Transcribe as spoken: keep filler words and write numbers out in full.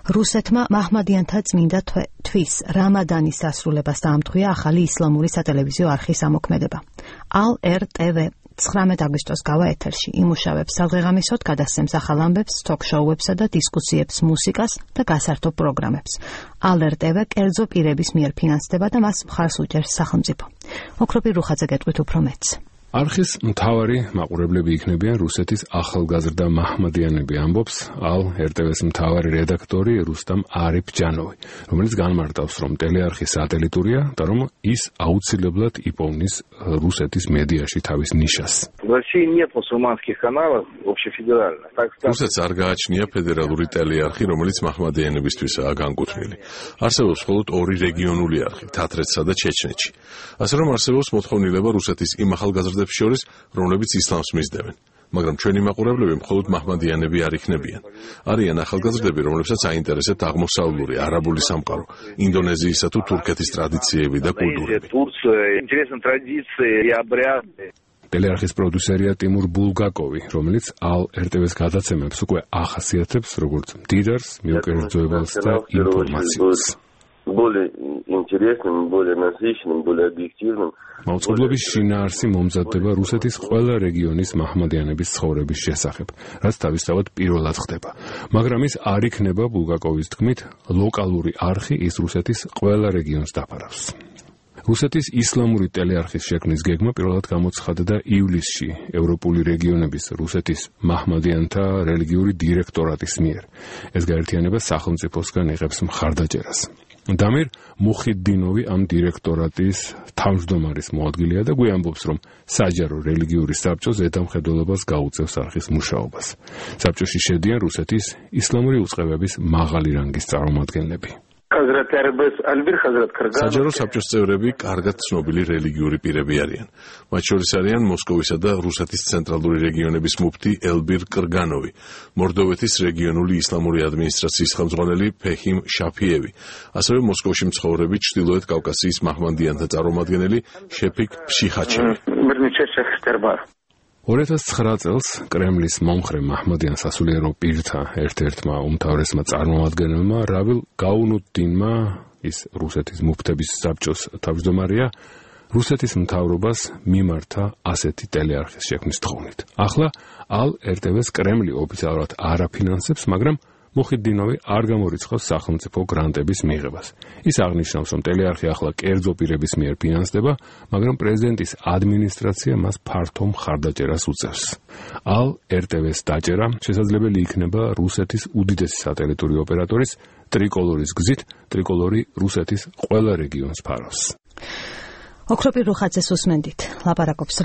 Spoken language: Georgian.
რუსეთმა მაჰმადიანთა წმინდა თვის რამადანის დასრულებას დაამტყვია ახალი ისლამური სატელევიზიო არხის ამოქმედება. ალ ერ ტე ვე ცხრამეტ აგვისტოს გავა ეთერში იმუშავებს სადღეღამისოდ გადასცემს ახალ ამბებს, თოქ-შოუებსა და დისკუსიებს, მუსიკას და გასართობ პროგრამებს. ალ ერ ტე ვე კერძო პირების მიერ ფინანსდება და მას მხარს უჭერს სახელმწიფო. ოქროპი რუხაძე გეტყვით უფრო მეტს. არხის მთავარი მაყურებლები იქნებიან რუსეთის ახალგაზრდა მაჰმადიანები, ამბობს ალ ერ ტე ვეს მთავარი რედაქტორი რუსტამ არიფჯანოვი, რომელიც განმარტავს, რომ ტელეარხი სატელიტურია და რომ ის აუცილებლად იპოვნის რუსეთის მედიაში თავის ნიშას. რუსეთს არ გააჩნია ფედერალური ტელეარხი, რომელიც მაჰმადიანებისთვისაა განკუთვნილი. არსებობს მხოლოდ ორი რეგიონული არხი, თათრეთსა და ჩეჩნეთში. ასე რომ არსებობს მოთხოვნილება რუსეთის იმ ახალგაზრდებს შორის, რომლებიც ისლამს მისდევენ. მაგრამ ჩვენი მაყურებლები მხოლოდ მაჰმადიანები არ იქნებიან. არიან ახალგაზრდები, რომლებსაც აინტერესებთ აღმოსავლური, არაბული სამყარო, ინდონეზიისა თუ თურქეთის ტრადიციები და კულტურები. ტელეარხის პროდიუსერია ტიმურ ბულგაკოვი, რომელიც ალ ერ ტე ვეს გადაცემებს უკვე ახასიათებს როგორც მდიდარს, მიუკერძოებელს და ინფორმაციას. более интересным, более насыщенным, более объективным. მაუწყებლობის შინაარსი მომზადდება რუსეთის ყველა რეგიონის მაჰმადიანების ცხოვრების შესახებ, რაც თავისთავად პირველად ხდება. მაგრამ ის არ იქნება ბულგაკოვის თქმით ლოკალური არხი, ის რუსეთის ყველა რეგიონს დაფარავს. რუსეთის ისლამური ტელეარხის შექმნის გეგმა პირველად გამოცხადდა ივლისში ევროპული რეგიონების რუსეთის მაჰმადიანთა რელიგიური დირექტორატის მიერ. ეს გაერთიანება სახელმწიფოსგან იღებს მხარდაჭერას. დამირ მუხიდდინოვი ამ დირექტორატის თავმჯდომარის მოადგილეა და გვიამბობს, რომ საჯარო რელიგიური საბჭო ზედამხედველობას გაუწევს არხის მუშაობას. საბჭოში შედიან რუსეთის ისლამური უწყებების მაღალი რანგის წარმომადგენლები. საჯარო საბჭოს წევრები კარგად ცნობილი რელიგიური პირები არიან. მათ შორის არიან მოსკოვისა და რუსეთის ცენტრალური რეგიონების მუფტი ელბირ კრგანოვი, მორდოვეთის რეგიონული ისლამური ადმინისტრაციის ხელმძღვანელი ფეჰიმ შაფიევი, ასევე მოსკოვში მცხოვრები ჩრდილოეთ კავკასიის მაჰმადიანთა წარმომადგენელი შეფიკ ფშიხაჩევი. ორი ათას ცხრა წელს კრემლის მომხრე მაჰმადიან სასულიერო პირთა ერთ-ერთმა უმთავრესმა წარმომადგენელმა რავილ გაუნუდდინმა, ის რუსეთის მუფტების საბჭოს თავმჯდომარეა, რუსეთის მთავრობას მიმართა ასეთი ტელეარხის შექმნის თხოვნით. ახლა ალ ერ ტე ვეს კრემლი ოფიციალურად არ აფინანსებს, მაგრამ მუხიდდინოვი არ გამორიცხავს სახელმწიფო გრანტების მიღებას. ის აღნიშნავს, რომ ტელეარხი ახლა კერძო პირების მიერ ფინანსდება, მაგრამ პრეზიდენტის ადმინისტრაცია მას ფართო მხარდაჭერას უწევს. ალ ერ ტე ვეს დაჭერა შესაძლებელი იქნება რუსეთის უდიდესი სატელიტური ოპერატორის ტრიკოლორის გზით, ტრიკოლორი რუსეთის ყველა რეგიონს ფარავს. ოქროპი რუხაძეს უსმენდით, ლაპარაკობს